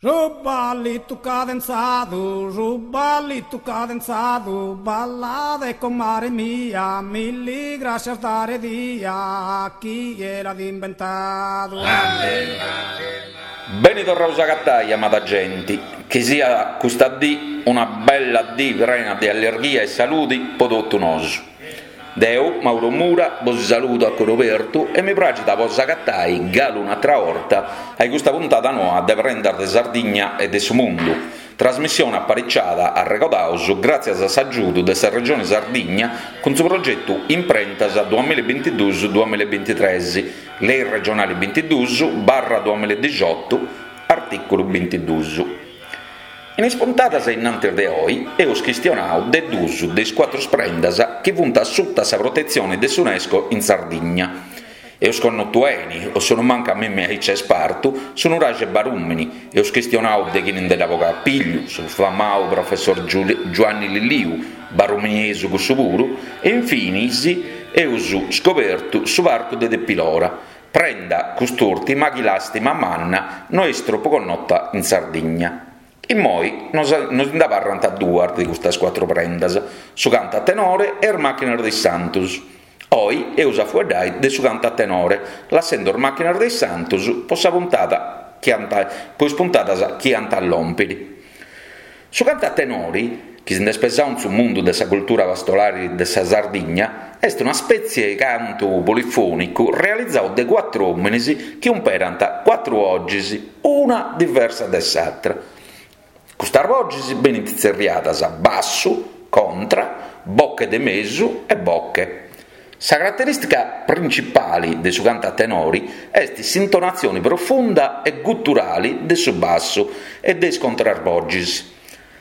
Su ballitu cadenzadu, su ballitu cadenzadu, ballade comare mia, milli grascias dare dia, chie l'at imbentadu. Beni torraus a agatai, amada genti, chi siat custa dì una bella dì prena de allirghia e saludi po totu nosu. Deu, Mauro Mura, bosi saludu a coru obertu e mi praxit a bos agatai galu un'atra 'orta a custa puntada noa de Prendas de Sardigna e de su Mundu, trasmissione apariciada, arregodaus, gràtzias a s'agiudu de sa Regione Sardigna cun su progetu Imprentas duamillabintiduus duamillabintitres, Lei regionali bintiduus barra duamilladixotu, artìculu bintiduus. In is puntadas a innantis de oi eus chistionau de duus de is cuatrus prendas chi funt a suta sa protetzioni de s'Unesco in Sardigna. Eus connotu 'eni, o sonumancu a mimmi aici est partu, su nuraxi 'e Barùmini, eus chistionau de chini nde dd'at bogau a pillu, su famau professor Giuanni Lilliu, baruminesu cussu puru, e infinis eus scobertu su parcu de Tepilora, Prenda cust'ùrtima chi làstima manna no est tropu connota in Sardigna. Immoi nos nos nd'abarrant duas de custas cuatru prendas, su cantu a tenore e is màchinas de is santus. Oi eus a fueddai de su cantu a tenore, lassendu is màchinas de is santus po sa puntada chi ant po is puntadas chi ant a lòmpiri. Su cantu a tenori, chi si nd'est pesau in su mundu de sa cultura pastorali de sa Sardigna, est una spètzie 'e cantu polifònicu realizau de cuatru òminis chi umperant cuatru 'ogis, una diversa de s'atra. Custas bogis benint tzerriadas bassu, contra, boche de mesu e boche. Sa caraterìstica principali de su cantu a tenori est s'intonatzioni profunda e guturali de su bassu e de is contrarbogis.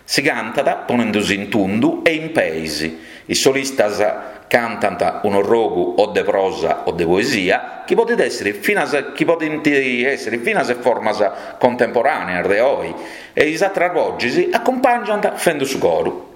Si cantat ponendusì in tundu e in peis. Is solistas cantant un'orrogu o de prosa o de poesia chi podit èssiri finas chi podint èssiri finas formas contemporàneas de oi e is atras bogis acumpàngiant fendu su coru.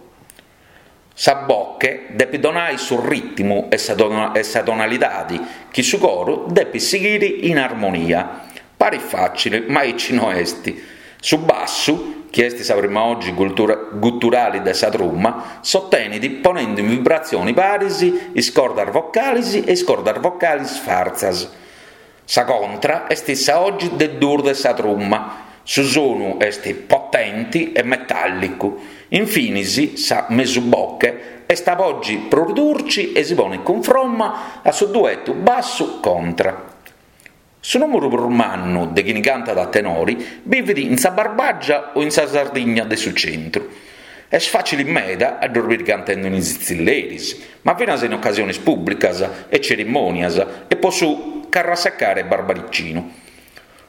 Sa boche depit donai su rìtimu e sa tonalidadi chi su coru depit sighiri in armonia. Parit fàcili, ma aici no est. Su bassu, chi est sa prima 'ogi guturali de sa truma, s'otenit ponendu in vibratzioni paris is cordas vocalis e is cordas vocalis fartzas. Sa contra est sa 'ogi de duus de sa truma, su sonu est potenti e metàllicu. Infinis sa mesuboche est sa bogi prus durci e si ponit cunfromma a su duetu bassu-contra. Su nùmeru prus mannu de chini cantat a tenori bivit in sa Barbàgia o in sa Sardigna de su centru. Est fàcili meda a ddos biri cantendu in is tzilleris, ma finas in ocasionis pùblicas e cerimònias e po su carrasecare barbaricinu.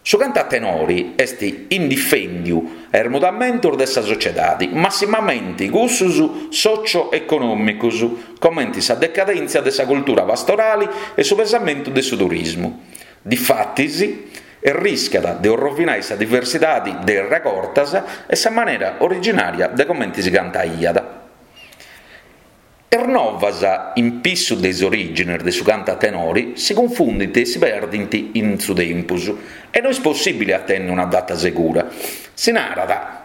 Su cantu a tenori est indifèndiu a is mudamentus de sa sociedadi, massimamenti cussus socio-econòmicus, comenti sa decadèntzia de sa cultura pastorali e su pesamentu de su turismu. Difatis, erriscat de orrovinai sa diversidadi de is regortas e sa manera originària de comenti si cantaiat. Is novas in pissu de is orìgines de su cantu a tenori si cunfundint e si perdint in su tempus e no est possìbili a tenni una data segura. Si narat,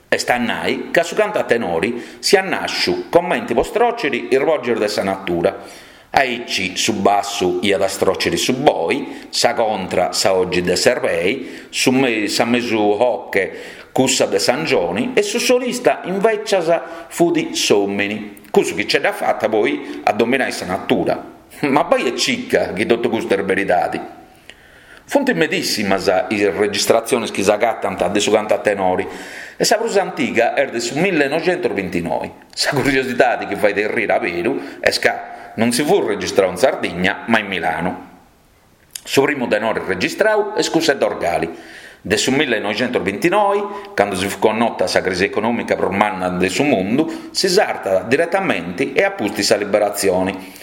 est a nai, ca su cantu a tenori siat nàsciu comenti po stròciri is bogis de sa natura, Aici su bassu iat a stròciri su boi, sa contra sa 'ogi de s'erbei, su sa mesu 'oche cussa de s'angioni e su solista invècias fut s'òmini, cussu chi ce dd'at fata poi a dominai sa natura. Ma bai e cica chi totu custu est beridadi. Funt medissimas is registratziones chi s'agatant de su cantu a tenori e sa prus antiga est de su millenoxentusbintinoi. Sa curiosidadi chi fait erriri aberu est ca non si fut registrau in Sardigna ma in Milanu. Su primu tenore registrau est cussu 'e Dorgali, de su millenoxentusbintinoi, candu si fut connota sa crisi econòmica prus manna de su mundu, si sartat diretamenti e a pustis sa liberatzioni.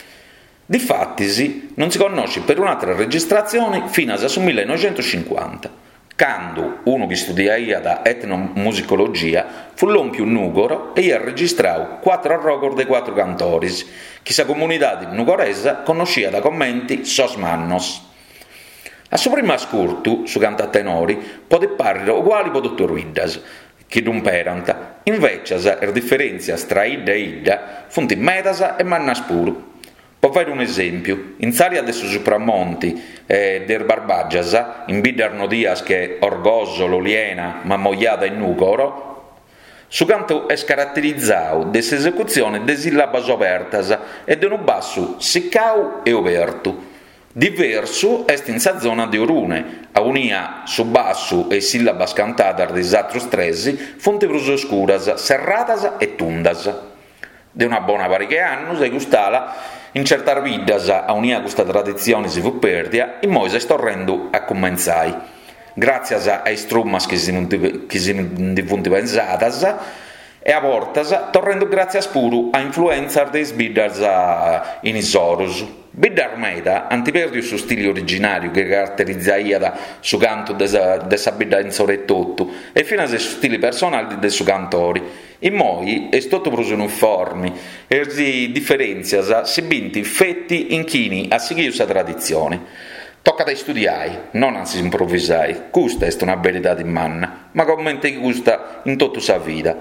Difatis non si connoscit perun'àtera registratzione finas a su millenoxentuscincuanta, candu unu chi istudiaiat etnomusicologia fut lòmpiu in Nùgoro e iat registrau cuatru arrogos de cuatru cantores chi sa comunidade nugoresa connosciat comente sos mannos. A su primu ascurtu, su cantu a tenori podit pàrriri uguali po totu is biddas chi ddu imperant, invècias is diferèntzias tra 'idda e 'idda funt medas e mannas puru. Po fàiri un'esèmpiu, in s'àrea de su Supramonti e de is Barbàgias, in biddas nodias che Orgòsolo, Oliena, Mamoiada e Nùgoro, su cantu est caraterizau de s'esecutzione de sìllabas obertas e de unu bassu sicau e obertu. Diversu est in sa zona de Orune, aunia su bassu e is sìllabas cantadas de is atrus tres funt prus oscuras, serradas e tundas. De una bona pariga 'e annus a cust'ala, in certas biddas aunia custa traditzioni si fut pèrdia, immoi s'est torrendu a cumentzai, gràtzias a is trumas chi si ndi funt pesadas e a bortas torrendu gràtzias puru a influèntzias de is biddas in is orus. Biddas meda ant pèrdiu su stili originàriu chi caraterizaiat su cantu de sa bidda insoru etotu e finas su stili personali de su cantori. Immoi est totu prus uniformi e is diferèntzias si bint feti in chini at sighiu sa traditzioni. Tocat a istudiai, non a s'improvisai, custa est una beridadi manna, ma comente custa in totu sa vida.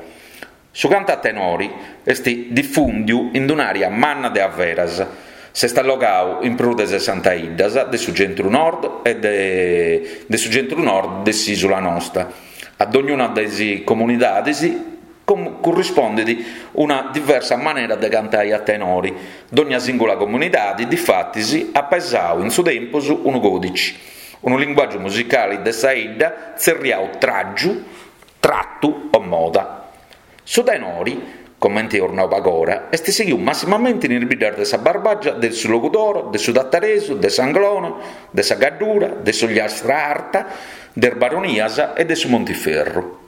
Su cantu a tenori est difùndiu in un'àrea manna de averas, s'est allogau in prus de sessanta 'iddas de su centru-nord e de su centru-nord de s'ìsula nosta. A dognuna de is comunidadis currispondit una diversa manera de cantai a tenori, dogna sìngula comunidadi difatis at pesau in su tempus unu còdici, unu linguàgiu musicali de sa 'idda tzerriau tràgiu, tratu o moda. Su tenori, comente eus nau pagora, est sighiu massimamenti in is biddas de sa Barbàgia, de su Logudoro, de su Tataresu, de s'Anglona, de sa Gaddura, de s'Ogliastra Arta, de is Baronias e de su Montiferru.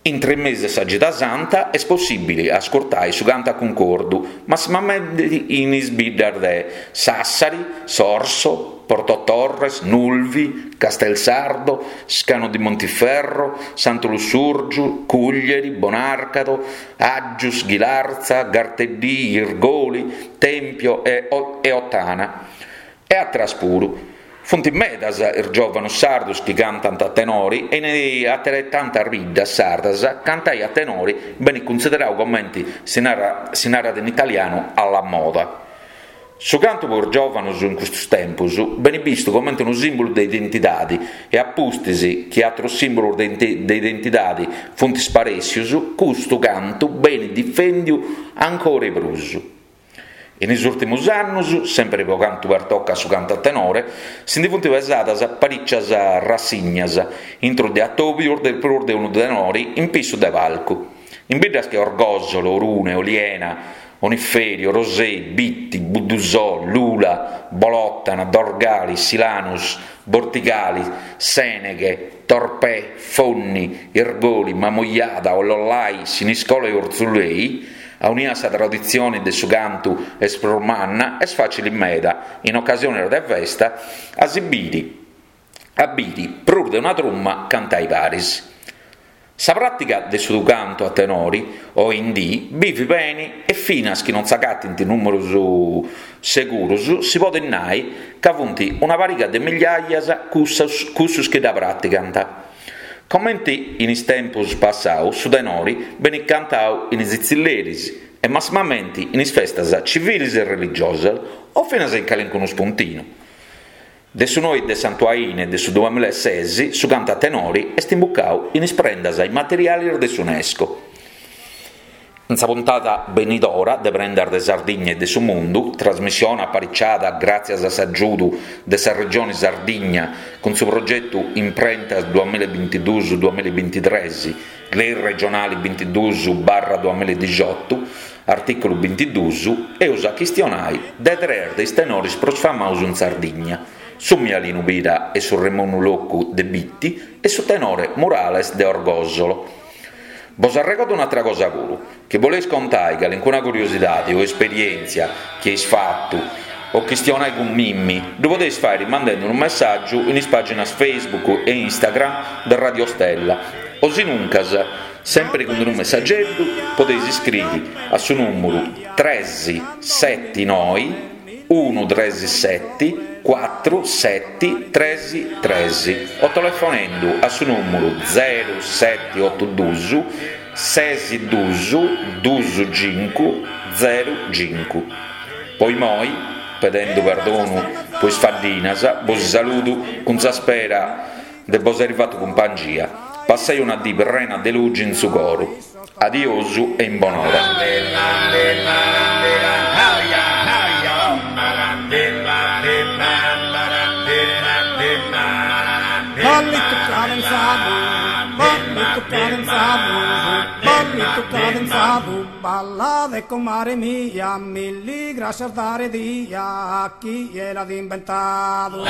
Intre is mesis de sa Gida Santa est possìbili a ascurtai su cantu a cuncordu, massimamenti in is biddas de Sassari, Sorso, Porto Torres, Nulvi, Castelsardo, Scano di Montiferro, Santu Lussùrgiu, Cùglieri, Bonàrcado, Aggius, Ghilarza, Garteddì, Irgoli, Tempio e Ottana. E àteras puru. Funt medas is giòvanus sardus chi cantant a tenori e in ateretantas biddas sardas cantai a tenori benit cunsiderau comenti si narat in italianu alla moda. Su cantu po is giòvanus in custus tempus benit bistu comente unu sìmbulu de identidadi e a pustis chi atrus sìmbulus de identidadi funt sparèssius, custu cantu benit difendiu ancora 'e prus. In is ùrtimus annus, sèmpiri po cantu pertocat su cantu a tenore, si ndi funt pesadas parìcias rassignas intru de atòbius de prus de unu tenori in pissu de palcu. In biddas che Orgòsolo, Orune, Oliena, Oniferi, Orosei, Bitti, Buddusò, Lula, Bolòtana, Dorgali, Silanus, Bortigali, Sèneghe, Torpè, Fonni, Irgoli, Mamoiada, Ollollai, Siniscola e Urtzulei, aunia sa traditzioni de su cantu est prus manna, est fàcili meda, in ocasionis de festa, a si biri a biri prus de una truma cantai paris. Sa pràtiga de su cantu a tenori, oindì, bivit beni e finas chi non s'agatint nùmerus segurus si podit nai ca funt una pariga de migliaias cussus chi dda pràtigant. Comenti in is tempus passaus su tenori benit cantau in is tzilleris e massimamenti in is festas civilis e religiosas o finas in calincunu spuntinu. De su noi de Santu Aine de su duamilla e ses su cantu a tenori est imbucau in is prendas immaterialis de s'Unesco. In sa puntada benidora de Prendas de Sardigna e de su Mundu, trasmissione apariciada gràtzias a s'agiudu de sa Regioni Sardigna cun su progetu Imprentas duamilla e bintiduus duamilla e bintitres, Lei regionali bintiduus barra duamilla e dixiotu, artìculu bintiduus, eus a chistionai de tres de is tenoris prus famaus in Sardigna, su Mialinu Pira e su Remunnu Locu de Bitti e su tenore Murales de Orgòsolo. Bos arregordu un'atra cosa puru, chi boleis contai calincuna curiosidadi o esperièntzia chi eis fatu o chistionai cun mimmi, ddu podeis fàiri mandendi unu messàgiu in is pàginas Facebook e Instagram de Radio Stella o sinuncas, sèmpiri cun unu messageddu, podeis iscriri a su nùmuru tres seti noi. Unu tres seti cuatru seti tres tres o telefonendu a su nùmuru zeru seti otu dus ses dus dus cincu zeru cincu. Po imoi, pedendu perdonu po is faddinas, bosi saludu cun sa spera de bos airi fatu cumpangia. Passai una dì prena de lugi in su coru. Adiosu e in bonora. Ballitu cadenzadu, ballitu cadenzadu, ballitu cadenzadu, ballade comare mia, milli grascias dare dia a chie l'at imbentadu.